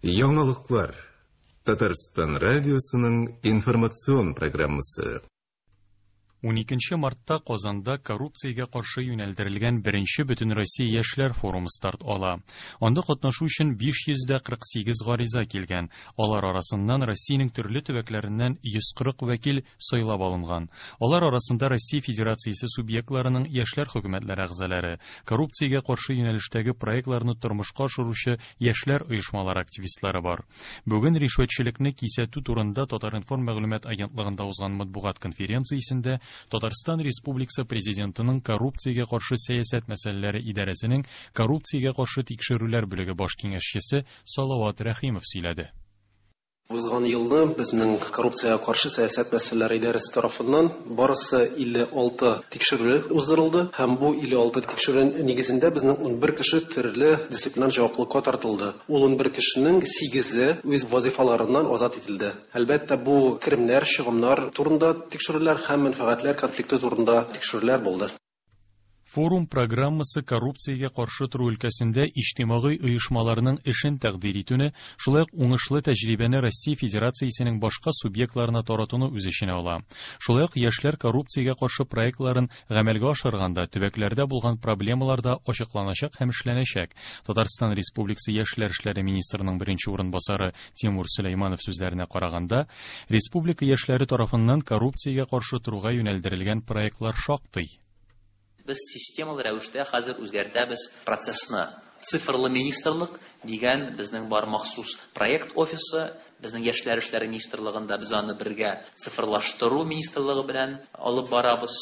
Яңалыклар. Татарстан радиосының информацион программасы. 12 мартта Казанда коррупциягә каршы юнәлдерелгән беренче Бөтенроссия яшьләр форумы старт ала. Анда катнашу өчен 548 гариза килгән. Алар арасыннан Россиянең төрле төбәкләреннән 140 вәкил сайлап алынган. Алар арасында Россия Федерациясе субъектларының яшьләр хөкүмәтләре әгъзалары, коррупциягә каршы юнәлештәге проектларны тормышка ашыручы яшьләр оешмалары активистлары бар. Бүген ришвәтчелекне кисәтү турында Татар-информ мәгълүмат агентлыгында узган матбугат конференциясендә Татарстан Республикасы Президентының коррупциягә каршы сәясәт мәсьәләләре идарәсенең коррупциягә каршы тикшерүләр бүлеге баш киңәшчесе Салават Рәхимов сөйләде. Узган елны безнең коррупциягә каршы сәясәт мәсьәләләре идарәсе тарафыннан барысы 56 тикшерү уздырылды һәм бу 56 тикшерү нигезендә безнең 11 кеше төрле дисциплинар җаваплылыкка тартылды. Ул 11 кешенең 8-е үз вазифаларыннан азат ителде. Әлбәттә, бу керемнәр, чыгымнар турында тикшерүләр һәм мәнфәгатьләр конфликты турында тикшерүләр булды. Форум программасы коррупциягә каршы тору өлкәсендә иҗтимагый оешмаларның эшен тәкъдир итүне, шулай ук уңышлы тәҗрибәне Россия Федерациясенең башка субъектларына таратуны үз эченә ала. Шулай ук яшьләр коррупциягә каршы проектларын гамәлгә ашырганда төбәкләрдә булган проблемалар да ачыкланачак һәм эшләнәчәк. Татарстан Республикасы яшьләр эшләре министрының беренче урынбасары Тимур Сөләйманов сүзләренә караганда, республика яшьләре тарафыннан коррупциягә каршы торуга юнәлдерелгән проектлар шактый. Без системалы рәвештә хәзер үзгәртәбез процессны. Цифрлы министрлык дигән безнең бар махсус проект офисы, безнең яшьләр эшләре министрлыгында без аны бергә цифрлаштыру министрлыгы белән алып барабыз.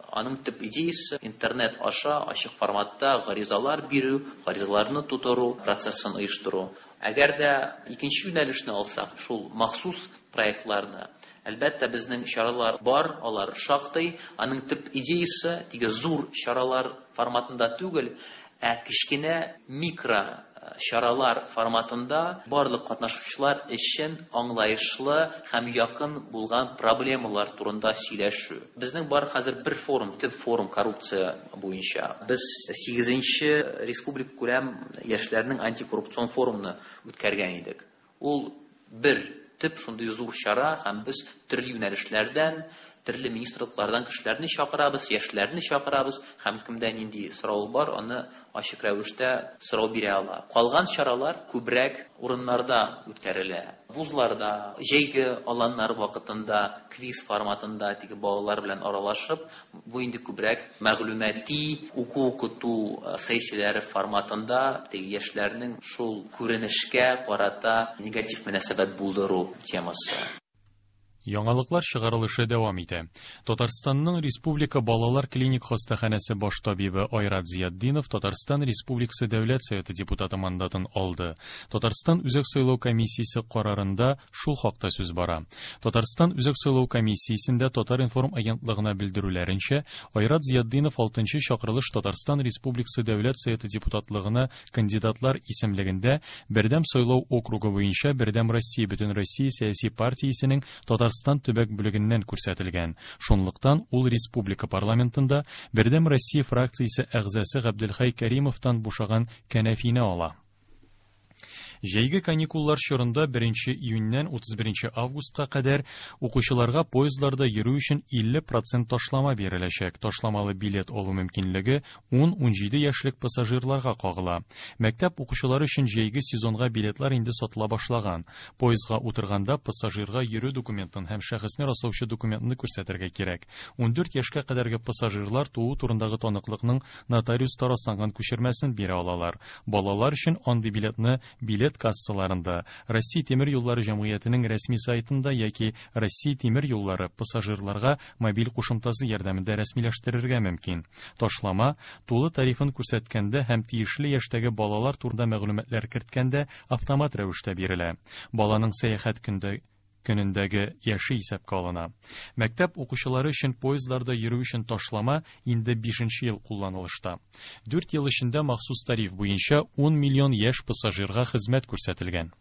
Аның төп идеясы интернет аша ачык форматта гаризалар бирү, гаризаларны тутыру процессын оештыру. Әгәр дә икенче юнәлешне алсак, шул махсус проектларны, әлбәттә, безнең чаралар бар, алар шактый. Аның төп идеясы теге зур чаралар форматында түгел, ә кечкенә микро чаралар форматында барлык катнашучылар өчен аңлаешлы һәм якын булган проблемалар турында сөйләшү. Безнең бар хәзер бер форум, төп форум коррупция буенча. Без 8-нче республика күләм яшьләрнең антикоррупцион форумны үткәргән идек. Ул бер төп шундый зур чара һәм без төрле юнәлешләрдән, төрле министрлыклардан кешеләрне чакырабыз, яшьләрне чакырабыз һәм кемдә нинди сорау бар, аны ачык рәвештә сорау бирә ала. Калган чаралар күбрәк урыннарда үткәрелә. Вузларда, җәйге аланнар вакытында, квиз форматында теге балалар белән аралашып, бу инде күбрәк мәгълүмати уку-укыту сессияләре форматында теге яшьләрнең шул күренешкә карата негатив мөнәсәбәт булдыру темасы. Яңалыклар чыгарылышы дәвам итә. Татарстанның Республика балалар клиник хастаханәсе баш табибы Айрат Зиятдинов Татарстан Республикасы Дәүләт Советы депутаты мандатын алды. Татарстан Үзәк сайлау комиссиясе карарында шул хакта сүз бара. Татарстан Үзәк сайлау комиссиясендә Татар-информ агентлыгына белдерүләренчә, Айрат Зиятдинов 6 чакырылыш Татарстан Республикасы Дәүләт Советы депутатлыгына кандидатлар исемлегендә Бердәм сайлау округы буенча Бердәм Россия Бөтенроссия сәяси партиясенең Татарстан төбәк бүлегеннән күрсәтелгән. Шунлыктан ул республика парламентында Бердәм Россия фракциясе әгъзасы Габделхәй Кәримовтан бушаган кәнәфине ала. Җәйге каникуллар чорында 1 июньнән 31 августка кадәр укучыларга поездларда йөрү өчен 50% ташлама биреләчәк. Ташламалы билет алу мөмкинлеге 10-17 яшьлек пассажирларга кагыла. Мәктәп укучылары өчен җәйге сезонга билетлар инде сатыла башлаган. Поездга утырганда пассажирга йөрү документын һәм шәхесне раслаучы документны күрсәтергә кирәк. 14 яшькә кадәрге пассажирлар туу турындагы таныклыкның нотариуста расланган күчермәсен бирә алалар. Балалар өчен андый билетны билет кассаларында, Россия тимер юллары җәмгыятенең рәсми сайтында яки Россия тимер юллары пассажирларга мобиль кушымтасы ярдәмендә рәсмиләштерергә мөмкин. Ташлама тулы тарифын күрсәткәндә һәм тиешле яшьтәге балалар турында мәгълүматлар керткәндә автомат рәвештә бирелә. Баланың сәяхәт көндә көнендәге яше исәпкә алына. Мәктәп укучылары өчен поездларда йөрү өчен ташлама инде 5 ел кулланылышта. 4 ел эчендә махсус тариф буенча 10 миллион яшь пассажирга хезмәт күрсәтелгән.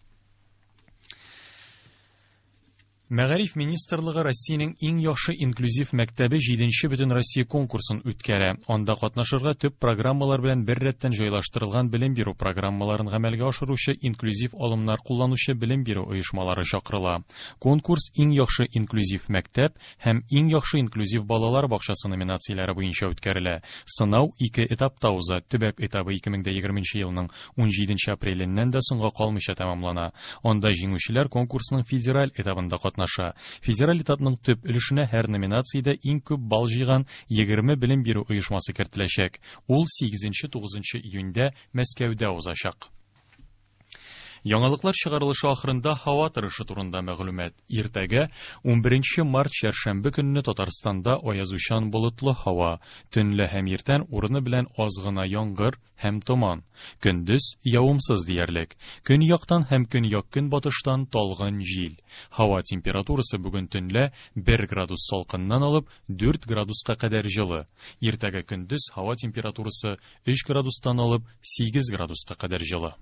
Мәгариф министрлыгы Россиянең иң яхшы инклюзив мәктәбе җиденче бөтенроссия конкурсын үткәрә. Анда катнашырга төп программалар белән беррәттән җайлаштырылган белем бирү программаларын гамәлгә ашыручы инклюзив алымнар кулланучы белем бирү оешмалары чакырыла. Конкурс Иң яхшы инклюзив мәктәп һәм Иң яхшы инклюзив балалар бакчасы номинацияләре буенча үткәрелә. Сынау ике этапта уза, төбәк этабы 2020 елның 17 апреленнән дә соңга калмыйча тәмамлана. Анда җиңүчеләр конкурсның федераль этабында катнаша. Федераль этапның төп өлешенә һәр номинациядә иң күп балл җыйган 20 белем бирү оешмасы кертеләчәк. Ул 8-9 июньдә Мәскәүдә узачак. Яңалыклар чыгарылышы ахырында һава торышы турында мәгълүмат. Иртәгә, 11 март чәршәмбе көнне Татарстанда аязучан болытлы һава, төнлә һәм иртән урыны белән аз гына яңгыр һәм томан. Көндез явымсыз диярлек. Көньяктан һәм көньяк-көнбатыштан талгын җил. Һава температурасы бүген төнлә 1 градус салкыннан алып 4 градуска кадәр җылы. Иртәгә көндез һава температурасы 3 градустан алып 8 градуска кадәр җылы.